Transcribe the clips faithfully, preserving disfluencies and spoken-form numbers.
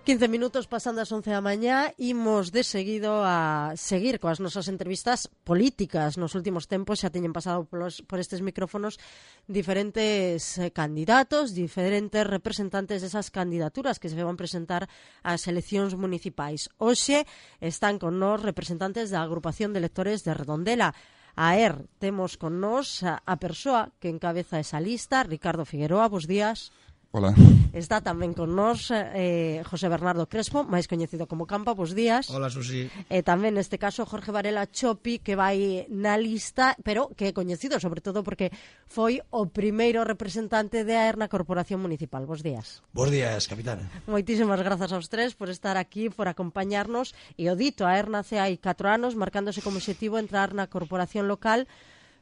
quince minutos pasando as once da mañá, imos de seguido a seguir coas nosas entrevistas políticas. Nos últimos tempos xa teñen pasado polos, por estes micrófonos diferentes eh, candidatos, diferentes representantes desas candidaturas que se van presentar ás eleccións municipais. Hoxe están con nós representantes da agrupación de electores de Redondela. A ER, temos con nós a, a persoa que encabeza esa lista, Ricardo Figueroa, bos días. Hola. Está tamén con nós eh, José Bernardo Crespo, máis coñecido como Campa, bos días. Hola, Susi. E tamén neste caso Jorge Varela Chopi, que vai na lista, pero que é coñecido sobre todo porque foi o primeiro representante de A E R na Corporación Municipal. Bos días. Bos días, capitán. Moitísimas grazas aos tres por estar aquí, por acompañarnos. E o dito, a E R nace hai catro anos, marcándose como objetivo entrar na Corporación Local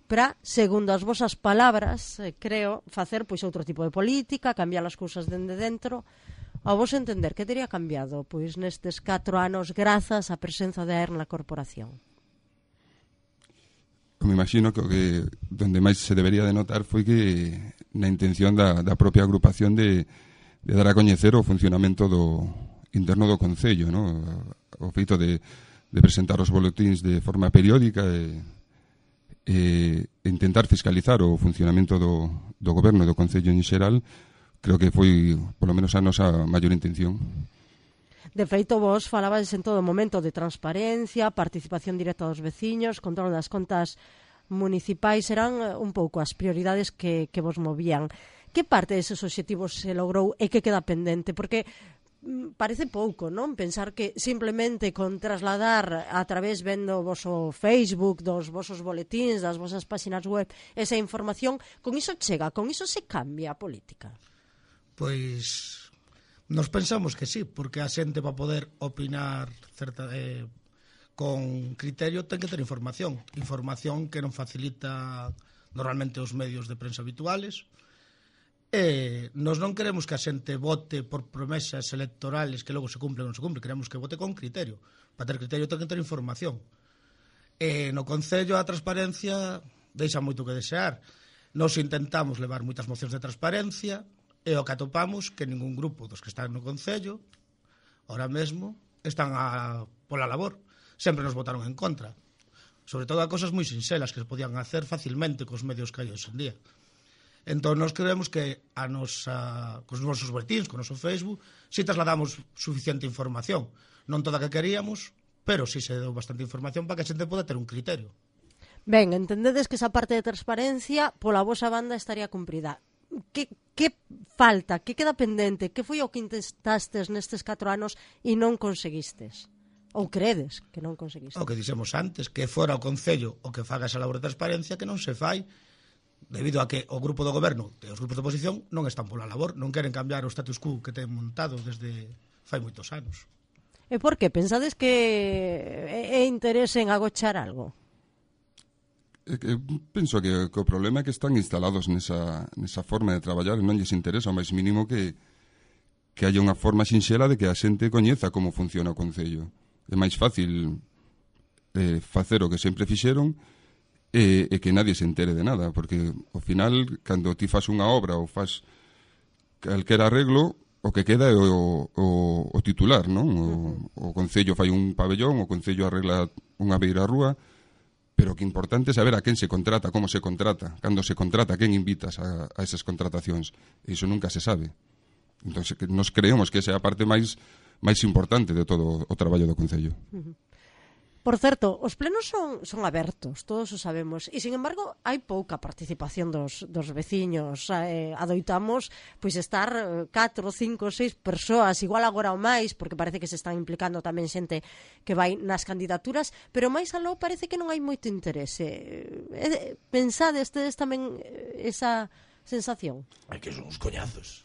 para, segundo as vosas palabras, eh, creo, facer pois outro tipo de política, cambiar as cousas dende dentro. A vos entender, que teria cambiado pois nestes catro anos grazas á presenza de A E R na corporación? Me imagino que o que donde máis se debería de notar foi que na intención da, da propia agrupación de, de dar a coñecer o funcionamento do interno do Concello, ¿no? O feito de, de presentar os boletíns de forma periódica e e intentar fiscalizar o funcionamento do, do goberno e do Concello en xeral, creo que foi, polo menos, a nosa maior intención. De feito, vos falabades en todo momento de transparencia, participación directa dos veciños, control das contas municipais, eran un pouco as prioridades que, que vos movían. Que parte deses obxectivos se logrou e que queda pendente? Porque parece pouco, non? Pensar que simplemente con trasladar a través vendo o voso Facebook, dos vosos boletíns, das vosas páxinas web, esa información, con iso chega, con iso se cambia a política. Pois nos pensamos que sí, porque a xente para poder opinar certa, eh, con criterio ten que ter información. Información que non facilita normalmente os medios de prensa habituales. E nos non queremos que a xente vote por promesas electorales que logo se cumplen ou non se cumplen, queremos que vote con criterio. Para ter criterio ten que ter información. E no Concello a transparencia deixa moito que desear. Nos intentamos levar moitas mocións de transparencia e o que atopamos que ningún grupo dos que están no Concello ahora mesmo están a, pola labor. Sempre nos votaron en contra. Sobre todo a cosas moi sinxelas que se podían hacer facilmente cos medios que hai hoxe en día. Entón, nos creemos que a nosa, cos nosos boletíns, con o noso Facebook, si trasladamos suficiente información. Non toda que queríamos, pero si se deu bastante información para que a xente poda ter un criterio. Ben, entendedes que esa parte de transparencia pola vosa banda estaría cumprida. Que, que falta? Que queda pendente? Que foi o que intestastes nestes catro anos e non conseguistes? Ou credes que non conseguistes? O que dixemos antes, que fora o Concello o que faga esa labor de transparencia que non se fai debido a que o grupo do goberno e os grupos de oposición non están pola labor, non queren cambiar o status quo que ten montado desde fai moitos anos. E por que? Pensades que é interese en agochar algo? É que penso que, que o problema é que están instalados nesa, nesa forma de traballar e non lles interesa o máis mínimo que, que haya unha forma sinxela de que a xente coñeza como funciona o Concello. É máis fácil eh, facer o que sempre fixeron E, e que nadie se entere de nada, porque ao final, cando ti fas unha obra ou fas calquera arreglo, o que queda é o, o, o titular, non? O, o Concello fai un pabellón, o Concello arregla unha beira rúa, pero o que é importante é saber a quen se contrata, como se contrata, cando se contrata, a quen invitas a, a esas contratacións. E iso nunca se sabe. Entón, nos creemos que esa é a parte máis máis importante de todo o traballo do Concello. Uh-huh. Por certo, os plenos son, son abertos, todos o sabemos, e, sin embargo, hai pouca participación dos, dos veciños. Eh, adoitamos pois estar catro, cinco, seis persoas, igual agora ou máis, porque parece que se están implicando tamén xente que vai nas candidaturas, pero máis aló parece que non hai moito interese. Eh, pensades tedes tamén esa sensación? É que son uns coñazos.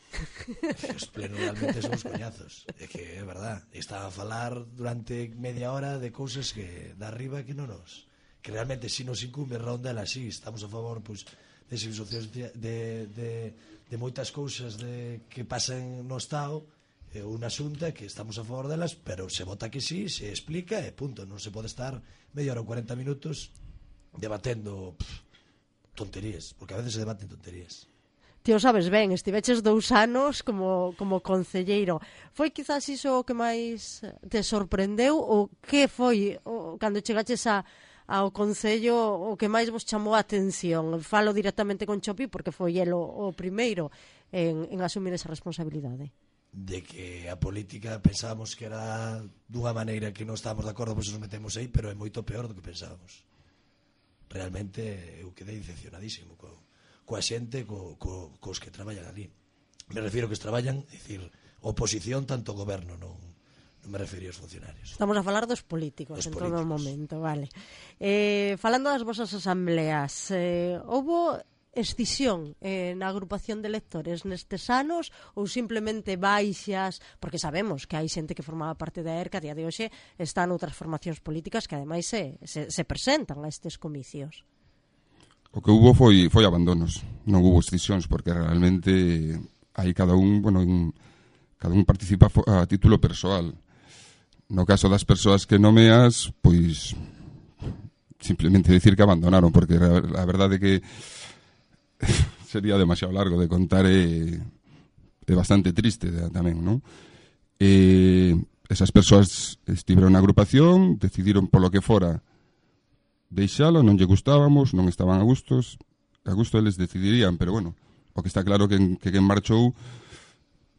Os plenos realmente son uns coñazos. É que é verdad. Estaba a falar durante media hora de cousas que da arriba que non nos... Que realmente si nos incumbe Redondela, si estamos a favor pois, de situacións de, de, de, de moitas cousas de, que pasan no Estado é unha xunta que estamos a favor delas, pero se vota que sí, se explica e punto. Non se pode estar media hora ou cuarenta minutos debatendo pff, tonterías, porque a veces se debaten tonterías. ti o sabes ben, estiveches dous anos como, como concelleiro. Foi quizás iso o que máis te sorprendeu ou que foi o, cando chegaches a, ao Concello o que máis vos chamou a atención? Falo directamente con Chopi porque foi el o, o primeiro en, en asumir esa responsabilidade. De que a política pensábamos que era dunha maneira que non estábamos de acordo, pois nos metemos aí, pero é moito peor do que pensábamos. Realmente eu quedei decepcionadísimo co, coa xente, co, co, cos que traballan ali. Me refiero que os traballan, é dicir, oposición tanto ao goberno, non, non me refería aos funcionarios. Estamos a falar dos políticos Dos en políticos. todo momento, vale. Eh, falando das vosas asambleas, eh, houbo escisión eh, na agrupación de electores nestes anos ou simplemente baixas, porque sabemos que hai xente que formaba parte da E R C a día de hoxe está noutras formacións políticas que ademais se, se, se presentan a estes comicios. O que hubo foi foi abandonos, non hubo escisións, porque realmente aí cada un, bueno, en, cada un participa a título persoal. No caso das persoas que nomeas, pois simplemente decir que abandonaron, porque a verdade é que sería demasiado largo de contar e é bastante triste tamén, non? E esas persoas estiveron na agrupación, decidiron polo que fora deixalo, non lle gustábamos, non estaban a gustos, a gusto eles decidirían, pero bueno, o que está claro que, que quen marchou,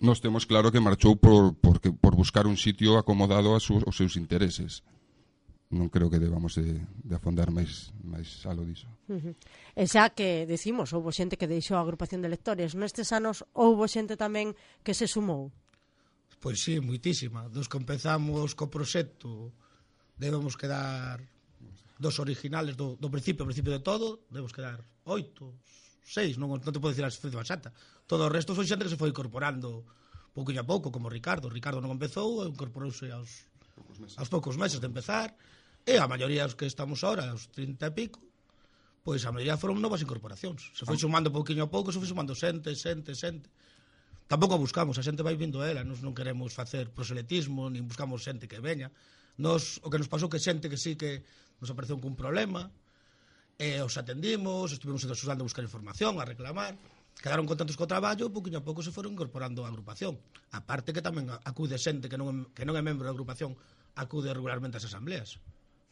nós temos claro que marchou por, por, por buscar un sitio acomodado aos, aos seus intereses. Non creo que debamos de, de afondar máis, máis alo diso. Uh-huh. E xa que decimos, houbo xente que deixou a agrupación de electores, nestes anos houbo xente tamén que se sumou? Pois sí, moitísima. Dos que empezamos co proxecto debemos quedar dos originales do, do principio, ao principio de todo, debemos quedar oito, seis, non, non te podo dicir a cifra exacta. Todo o resto foi xente que se foi incorporando pouquinho a pouco, como Ricardo. Ricardo non empezou, incorporouse aos, aos poucos meses de empezar, e a maioría dos que estamos ahora, aos trinta e pico, pois a maioría foron novas incorporacións. Se foi sumando pouquinho a pouco, se foi sumando xente, xente, xente. Tampouco buscamos, a xente vai vindo a ela, nos non queremos facer proselitismo, nin buscamos xente que veña. Nos, o que nos pasou que xente que sí que nos apareceu cun problema, e os atendimos, estuvimos axudando a buscar información, a reclamar, quedaron contentos co traballo, e pouquinho a pouco se foron incorporando a agrupación. A parte que tamén acude xente que non, que non é membro da agrupación, acude regularmente ás asambleas.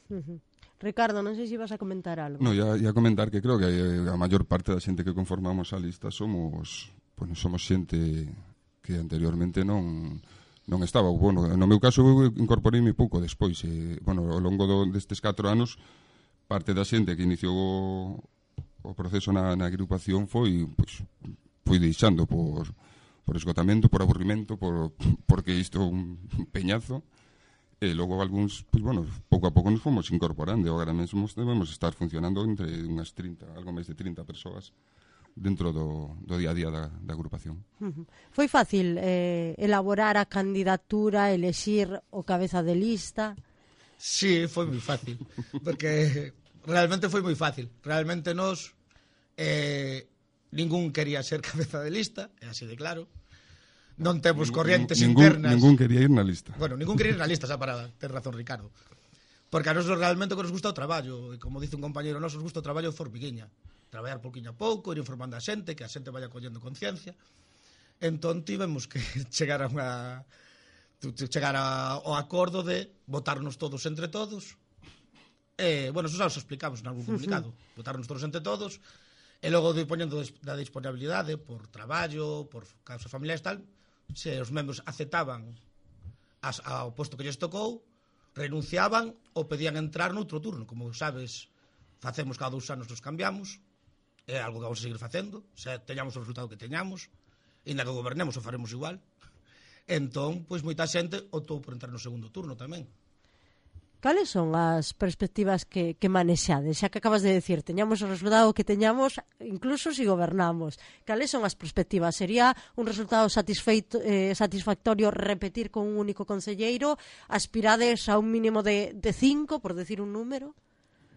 Uh-huh. Ricardo, non sei se ibas a comentar algo. No, ia, ia comentar que creo que a maior parte da xente que conformamos a lista somos, bueno, somos xente que anteriormente non non estaba. Bueno, no meu caso eu incorporeime pouco despois, e, bueno, ao longo do, destes catro anos parte da xente que iniciou o, o proceso na, na agrupación foi, pois, foi deixando por, por esgotamento, por aburrimento, por, porque isto é un peñazo, e logo algúns, pois, bueno, pouco a pouco nos fomos incorporando, e agora mesmo debemos estar funcionando entre unhas trinta, algo máis de trinta persoas dentro do, do día a día da, da agrupación. Uh-huh. Foi fácil eh, elaborar a candidatura, elexir o cabeza de lista? Sí, foi moi fácil, porque realmente foi moi fácil. Realmente nos eh, ningún quería ser cabeza de lista, é así de claro. Non temos corrientes ningún, internas. Ningún quería ir na lista. Bueno, ningún quería ir na lista, xa para ter razón Ricardo. Porque a nos realmente que nos gusta o traballo, e como dice un compañeiro noso, nos gusta o traballo formiguiña. Traballar pouquinho a pouco, ir informando a xente, que a xente vaya collendo conciencia. Entón tivemos que chegar a unha chegar a, ao acordo de votarnos todos entre todos. E, bueno, eso xa os explicamos en algún comunicado. Uh-huh. Votarnos todos entre todos, e logo de poñendo da disponibilidade por traballo, por causas familiares tal, se os membros aceptaban as, ao posto que lles tocou, renunciaban ou pedían entrar noutro turno. Como sabes, facemos cada dous anos nos cambiamos, é algo que vamos a seguir facendo, se teñamos o resultado que teñamos, e ainda que gobernemos o faremos igual. Entón, pois moita xente optou por entrar no segundo turno tamén. Cales son as perspectivas que, que manexades? Xa que acabas de decir, teñamos o resultado que teñamos, incluso se si gobernamos. Cales son as perspectivas? Sería un resultado eh, satisfactorio repetir con un único concelleiro? Aspirades a un mínimo de, de cinco, por decir un número?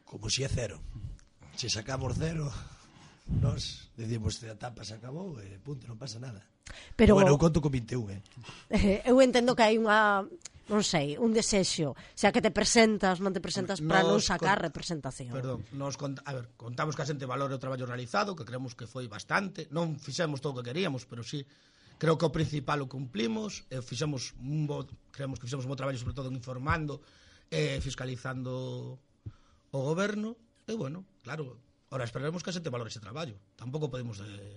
Como si é cero. Se sacamos cero, nos decimos que a etapa se acabou e punto, non pasa nada. Pero bueno, eu conto con vinte e un, eh. Eu entendo que hai unha non sei, un desexo, xa que te presentas, non te presentas para non Nos sacar con- representación. Perdón, nos cont- a ver, contamos que a xente valore o traballo realizado, que creemos que foi bastante, non fixemos todo o que queríamos, pero sí, creo que o principal o cumplimos, e fixemos un bo, creemos que fixemos un bo traballo, sobre todo en informando e fiscalizando o goberno, e bueno, claro, ahora esperaremos que a xente valore ese traballo, tampouco podemos de,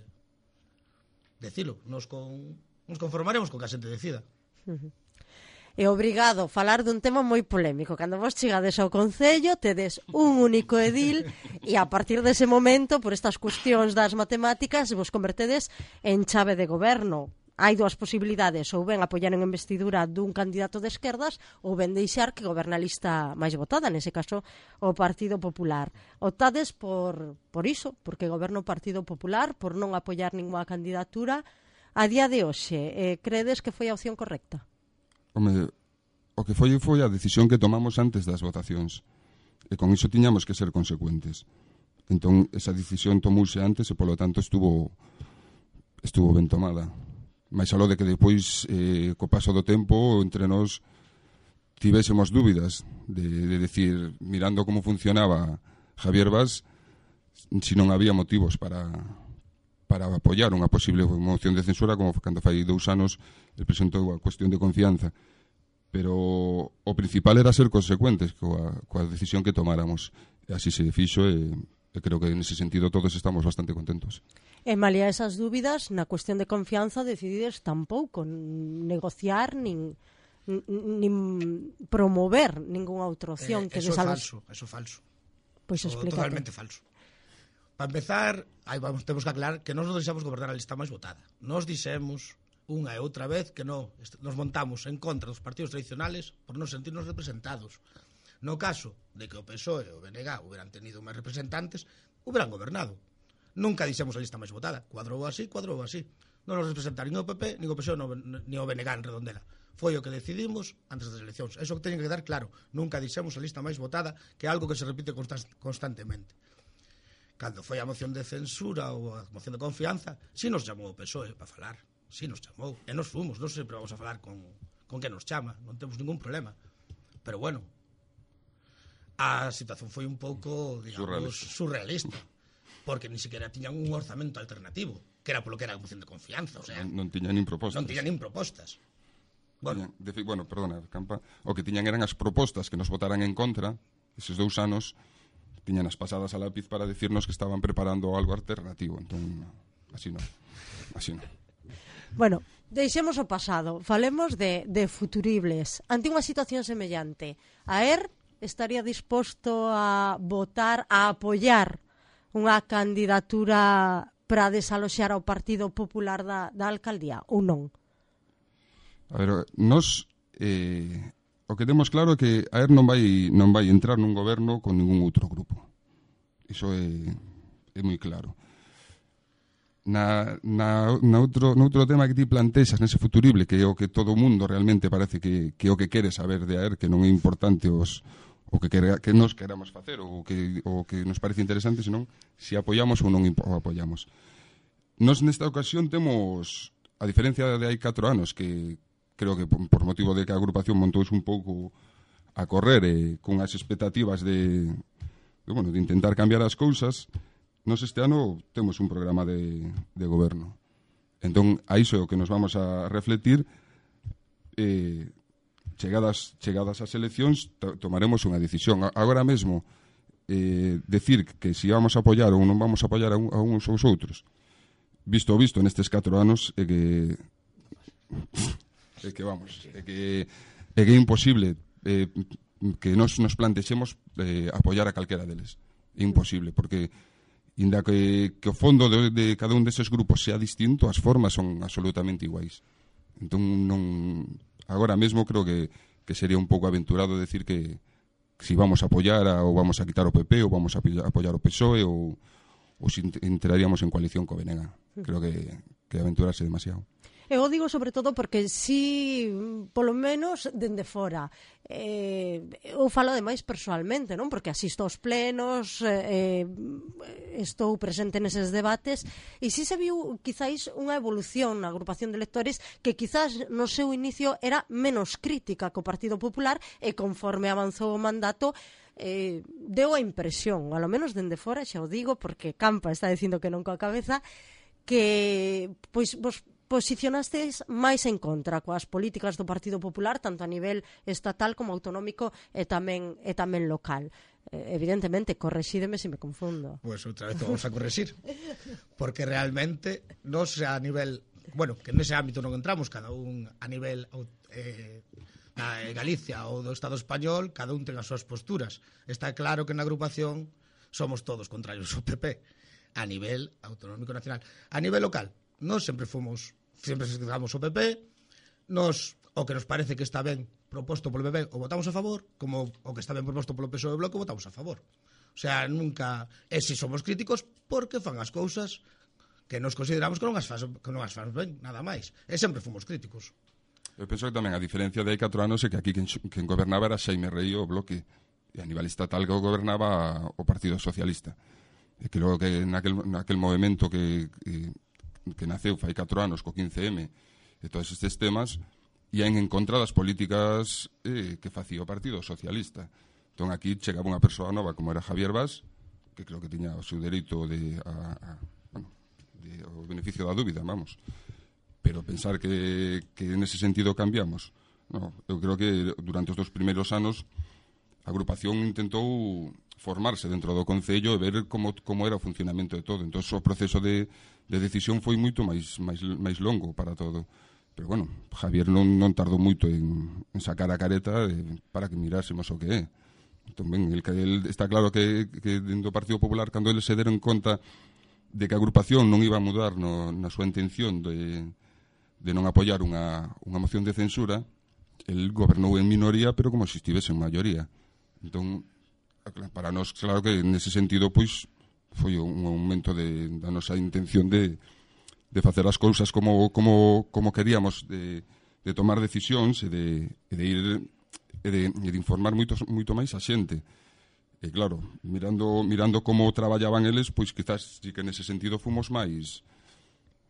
decilo, nos, con, nos conformaremos con que a xente decida. É obrigado falar dun tema moi polémico. Cando vos chegades ao Concello, tedes un único edil e a partir dese momento, por estas cuestións das matemáticas, vos convertedes en chave de goberno. Hai dúas posibilidades, ou ben apoiar en investidura dun candidato de esquerdas ou ben deixar que goberna a lista máis votada, nese caso o Partido Popular. Optades por, por iso, porque goberna o Partido Popular, por non apoiar ninguna candidatura. A día de hoxe, eh, credes que foi a opción correcta? Home, o que foi foi a decisión que tomamos antes das votacións. E con iso tiñamos que ser consecuentes. Entón, esa decisión tomouse antes e, polo tanto, estuvo estuvo ben tomada. Mais aló de que depois, eh, co paso do tempo, entre nós tivésemos dúbidas de, de decir, mirando como funcionaba Javier Bas, si non había motivos para... para apoiar unha posible moción de censura, como cando fai dous anos el presentou a cuestión de confianza. Pero o principal era ser consecuentes coa, coa decisión que tomáramos. E así se fixo e, e creo que nese sentido todos estamos bastante contentos. E malia esas dúbidas, na cuestión de confianza decidides tampouco negociar nin, nin promover ningunha outra opción. Eh, que eso é desales... falso, eso é falso. Pois Eso explícate. totalmente falso. Para empezar, aí vamos, temos que aclarar que nós non deixamos gobernar a lista máis votada. Nos dixemos unha e outra vez que non, nos montamos en contra dos partidos tradicionales por non sentirnos representados. No caso de que o P S O E e o B N G hubieran tenido máis representantes, hubieran gobernado. Nunca dixemos a lista máis votada. Cuadrou así, cuadrou así. Non nos representaron nin o P P, nin o P S O E, nin o B N G en Redondela. Foi o que decidimos antes das eleccións. Eso que teñen que quedar claro. Nunca dixemos a lista máis votada, que é algo que se repite constantemente. Cando foi a moción de censura ou a moción de confianza, si nos chamou o P S O E para falar, si nos chamou, e nos fomos, non sempre vamos a falar con, con que nos chama, non temos ningún problema. Pero bueno, a situación foi un pouco, digamos, surrealista, surrealista porque ni siquiera tiñan un orzamento alternativo, que era polo que era a moción de confianza, o sea, Non, non tiñan nin propostas. non tiñan nin propostas. Bueno, Tiñan, de, bueno, perdona, Campa, o que tiñan eran as propostas que nos votaran en contra, eses dous anos, tiñan as pasadas a lápiz para decirnos que estaban preparando algo alternativo. Entón, así non. Así non. Bueno, deixemos o pasado. Falemos de, de futuribles. Ante unha situación semellante, a ER estaría disposto a votar, a apoiar unha candidatura para desaloxar ao Partido Popular da, da alcaldía, ou non? A ver, nos... Eh, o que temos claro é que a ER non vai non vai entrar nun goberno con ningún outro grupo. Iso é, é moi claro. Na, na, na outro, no outro tema que ti plantexas nese futurible, que é o que todo o mundo realmente parece que, que é o que quere saber de a ER, que non é importante os, o que, quere, que nos queramos facer ou que, o que nos parece interesante, senón se apoiamos ou non o apoiamos. Nos nesta ocasión temos, a diferencia de hai catro anos, que creo que por motivo de que a agrupación montouse un pouco a correr e con as expectativas de, de, bueno, de intentar cambiar as cousas, nos este ano temos un programa de, de goberno. Entón, a iso é o que nos vamos a refletir. Eh, chegadas, chegadas as eleccións, to, tomaremos unha decisión. A, agora mesmo, eh, decir que si vamos a apoiar ou non vamos a apoiar a, un, a uns ou os outros, visto o visto nestes catro anos, é que... é que vamos, é que é que é imposible eh, que nos nos plantexemos eh, apoiar a calquera deles. É imposible, porque inda que, que o fondo de, de cada un deses grupos sea distinto, as formas son absolutamente iguais. Entón, non, agora mesmo creo que, que sería un pouco aventurado decir que, que si vamos a apoiar a, ou vamos a quitar o P P ou vamos a apoiar o P S O E ou, ou si entraríamos en coalición co B N G. Creo que, que aventurarse demasiado. Eu digo sobre todo porque si, polo menos, dende fora, eh, eu falo ademais persoalmente, non? Porque asisto aos plenos, eh, estou presente neses debates, e si se viu quizáis unha evolución na agrupación de lectores que quizás no seu inicio era menos crítica co Partido Popular, e conforme avanzou o mandato, eh, deu a impresión, ao menos dende fora, xa o digo, porque Campa está dicindo que non coa cabeza, que pois vos posicionastes máis en contra coas políticas do Partido Popular, tanto a nivel estatal como autonómico e tamén e tamén local. Eh, evidentemente, correxídeme se me confundo. Pois pues outra vez vamos a correxir, porque realmente nos a nivel, bueno, que nese ámbito non entramos, cada un a nivel eh, na Galicia ou do Estado español, cada un ten as súas posturas. Está claro que na agrupación somos todos contrarios ao P P a nivel autonómico nacional. A nivel local, nós sempre fomos, sempre escritamos o P P, nos, o que nos parece que está ben proposto polo P P o votamos a favor, como o que está ben proposto polo P S O E e Bloque o votamos a favor. O sea, nunca, e si somos críticos porque fan as cousas que nos consideramos que non as faz, que non as faz ben, nada máis. E sempre fomos críticos. Eu penso que tamén a diferencia de hai catro anos é que aquí quen, quen gobernaba era Xaime Rei o Bloque, e a nivel estatal que gobernaba o Partido Socialista. E que logo que naquel, naquel movimento que, que, que naceu fai catro anos co quince eme e todos estes temas ian en contra das políticas eh, que facía o Partido Socialista. Entón aquí chegaba unha persoa nova como era Javier Bas, que creo que tiña o seu dereito de, a, a, bueno, de, o beneficio da dúbida, vamos. Pero pensar que, que nese sentido cambiamos, no, eu creo que durante os dos primeiros anos a agrupación intentou formarse dentro do Concello e ver como, como era o funcionamento de todo. Entón, o proceso de, de decisión foi moito máis, máis, máis longo para todo. Pero, bueno, Javier non, non tardou moito en, en sacar a careta de, para que mirásemos o que é. Entón, ben, el, el, está claro que, que dentro do Partido Popular, cando eles se deron conta de que a agrupación non iba a mudar no, na súa intención de, de non apoiar unha, unha moción de censura, el gobernou en minoría, pero como se estivese en maioría. Entón, para nós, claro que nese sentido, pois, foi un aumento de, da nosa intención de, de facer as cousas como, como, como queríamos, de, de tomar decisións e de, e de ir e de, e de informar moito, moito máis a xente. E claro, mirando, mirando como traballaban eles, pois quizás sí que nese sentido fomos máis,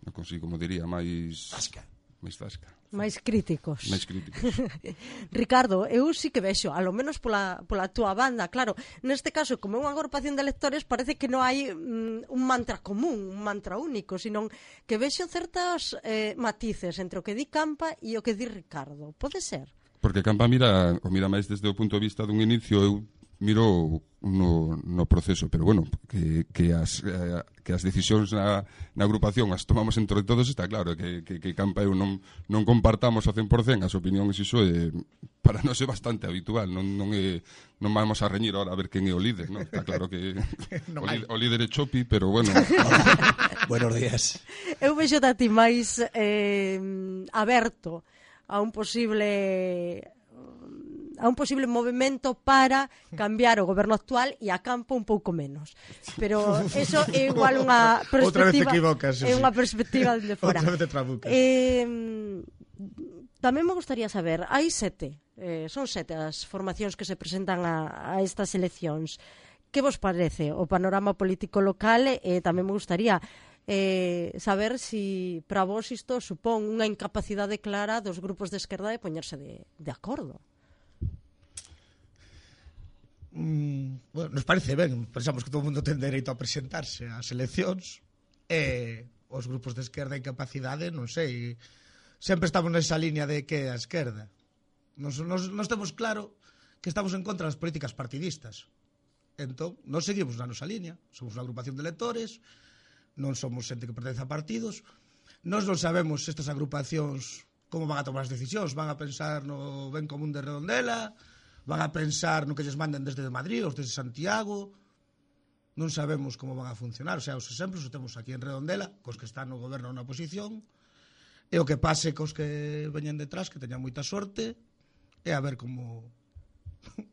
non consigo, como diría, máis... Tasca. máis tasca. Máis críticos. Máis críticos. Ricardo, eu sí que vexo, a lo menos pola, pola túa banda, claro, neste caso, como é unha agrupación de lectores, parece que non hai mm, un mantra común, un mantra único, sino que vexo certas eh, matices entre o que di Campa e o que di Ricardo. Pode ser? Porque Campa mira, o mira máis desde o punto de vista dun inicio, eu miro no, no proceso, pero bueno, que, que, as, eh, que as decisións na, na agrupación as tomamos entre todos, está claro que, que, que Campa e eu non, non compartamos ao cen por cen as opinións, iso é, para nós é bastante habitual, non, non, é, non vamos a reñir ahora a ver quen é o líder, non? Está claro que no o, líder, o líder é Chopi, pero bueno. Buenos días. Eu vexo a ti máis eh, aberto a un posible a un posible movimento para cambiar o goberno actual e a Campo un pouco menos. Pero eso é igual unha perspectiva, outra vez te equivocas, é unha perspectiva de fora. Outra vez te trabucas. Eh, tamén me gustaría saber, hai sete, eh, son sete as formacións que se presentan a, a estas eleccións. Que vos parece o panorama político local? E eh, tamén me gustaría eh, saber si para vos isto supón unha incapacidade clara dos grupos de esquerda de poñerse de, de acordo. Mm, bueno, nos parece ben, pensamos que todo o mundo ten dereito a presentarse ás eleccións e os grupos de esquerda en capacidade, non sei, sempre estamos nesa línea de que é a esquerda. Nos, nos, nos temos claro que estamos en contra das políticas partidistas. Entón, nos seguimos na nosa línea, somos unha agrupación de electores, non somos xente que pertence a partidos, nós non sabemos estas agrupacións como van a tomar as decisións, van a pensar no ben común de Redondela, van a pensar no que lles manden desde Madrid ou desde Santiago, non sabemos como van a funcionar. O sea, os exemplos os temos aquí en Redondela, cos que están no goberno na oposición, e o que pase cos que veñen detrás, que teñan moita sorte, e a ver como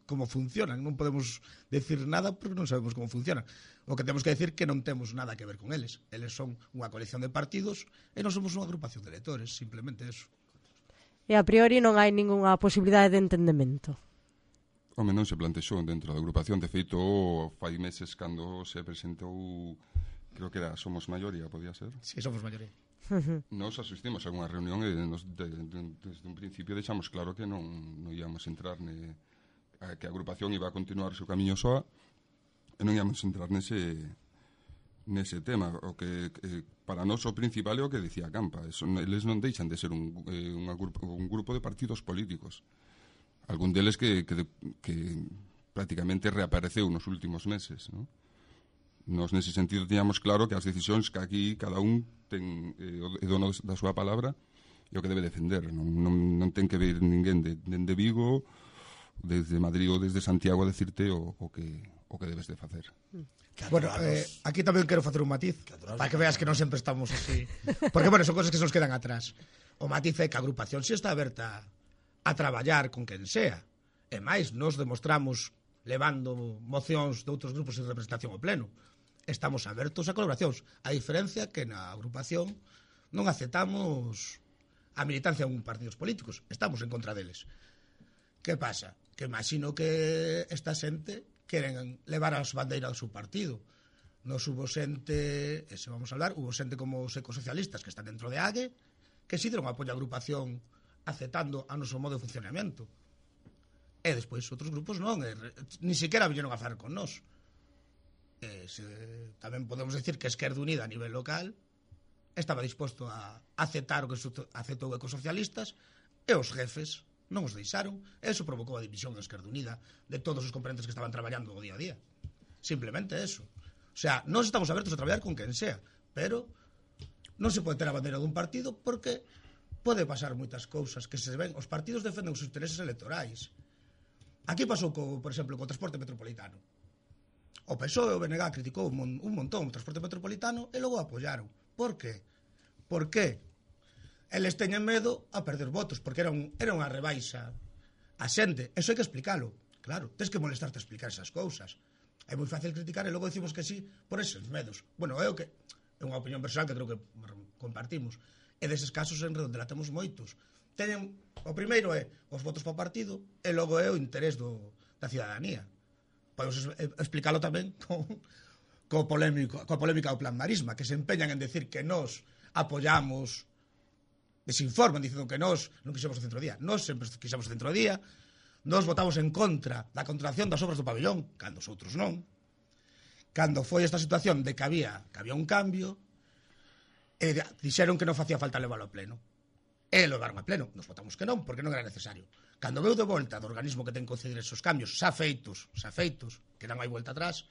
como funcionan, non podemos decir nada porque non sabemos como funcionan. O que temos que decir que non temos nada que ver con eles. Eles son unha colección de partidos e non somos unha agrupación de electores, simplemente eso. E a priori non hai ningunha posibilidade de entendemento. Home, non se plantexou dentro da agrupación. De feito, fai meses cando se presentou, creo que era Somos Maioría, podía ser? Si, sí, somos maioría. Uh-huh. Nos asistimos a unha reunión e nos, de, de, desde un principio deixamos claro que non, non íamos entrar ne, a, que a agrupación iba a continuar o seu camiño soa e non íamos entrar nese nese tema. O que, que para nós o principal é o que dicía Campa. Eso, eles non deixan de ser un, eh, un, grupo, un grupo de partidos políticos. Algún deles que, que, que prácticamente reapareceu nos últimos meses, non? Nos nese sentido tiñamos claro que as decisións que aquí cada un ten eh, o dono da súa palabra e o que debe defender. Non, non, non ten que ver ninguén de, de Vigo, desde Madrid ou desde Santiago a decirte o, o, que, o que debes de facer. Bueno, eh, aquí tamén quero facer un matiz para que veas que non sempre estamos así. Porque, bueno, son cosas que se nos quedan atrás. O matiz é que a agrupación si está aberta a traballar con quen sea. E máis, nos demostramos levando mocións de outros grupos en representación ao pleno. Estamos abertos a colaboracións. A diferencia que na agrupación non aceptamos a militancia en partidos políticos. Estamos en contra deles. Que pasa? Que imagino que esta xente queren levar as bandeiras do seu partido. Nos hubo xente, e se vamos a hablar, hubo xente como os ecosocialistas que están dentro de A G E, que si deron apoio á agrupación aceptando a noso modo de funcionamento. E despois outros grupos non, e, ni siquiera viñeron a falar con nós. E, se, tamén podemos decir que a Esquerda Unida a nivel local estaba disposto a aceptar o que aceptou ecosocialistas e os jefes non os deixaron. Eso provocou a división da Esquerda Unida de todos os componentes que estaban traballando o día a día. Simplemente eso. O sea, nós estamos abertos a traballar con quen sea, pero non se pode ter a bandeira dun partido porque pode pasar moitas cousas que se ven. Os partidos defenden os intereses electorais. Aquí pasou, co, por exemplo, co transporte metropolitano. O P S O E e o B N G criticou un, mon, un montón o transporte metropolitano e logo apoyaron. Por qué? Por qué? Eles teñen medo a perder votos, porque era, un, era unha rebaixa a xente. Eso hai que explicalo. Claro, tens que molestarte a explicar esas cousas. É moi fácil criticar e logo decimos que sí por eses medos. Bueno, é o que é unha opinión personal que creo que compartimos. E deses casos en Redondela temos moitos. Teñen, o primeiro é os votos para o partido e logo é o interés do, da cidadanía. Podemos explicarlo tamén con, co polémico, coa polémica do Plan Marisma, que se empeñan en decir que nós apoyamos, desinforman dicindo que nós non quixemos o centrodía. Nós sempre quixemos o centrodía, nós votamos en contra da contratación das obras do pabellón, cando os outros non. Cando foi esta situación de que había, que había un cambio, e dixeron que non facía falta leválo a pleno. E levaron a pleno. Nos votamos que non, porque non era necesario. Cando veu de volta do organismo que ten que conceder esos cambios, xa feitos, xa feitos, que non hai volta atrás,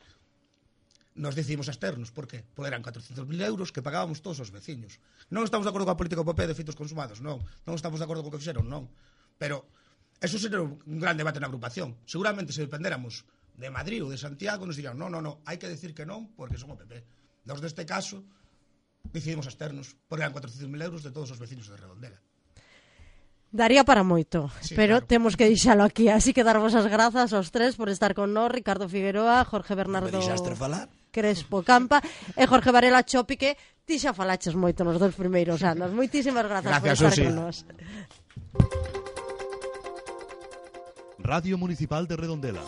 nos decidimos absternos. Por qué? Porque eran catrocentos mil euros que pagábamos todos os veciños. Non estamos de acordo coa política do P P de feitos consumados, non. Non estamos de acordo co que fixeron, non. Pero eso sería un gran debate na agrupación. Seguramente se dependéramos de Madrid ou de Santiago, nos dirían, non, non, non, hai que decir que non, porque son o P P. Nos deste caso, decidimos absternos, porque eran catrocentos mil euros de todos os veciños de Redondela. Daría para moito, sí, pero claro. Temos que deixalo aquí. Así que darvos as grazas aos tres por estar con nós, Ricardo Figueroa, Jorge Bernardo Crespo Campa e Jorge Varela Chopi, que ti xa falaches moito nos dos primeiros anos. Moitísimas grazas Gracias, por estar Susi. con nós. Radio Municipal de Redondela.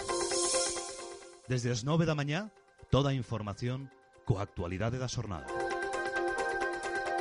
Desde as nove da mañá, toda a información coa actualidade da xornada.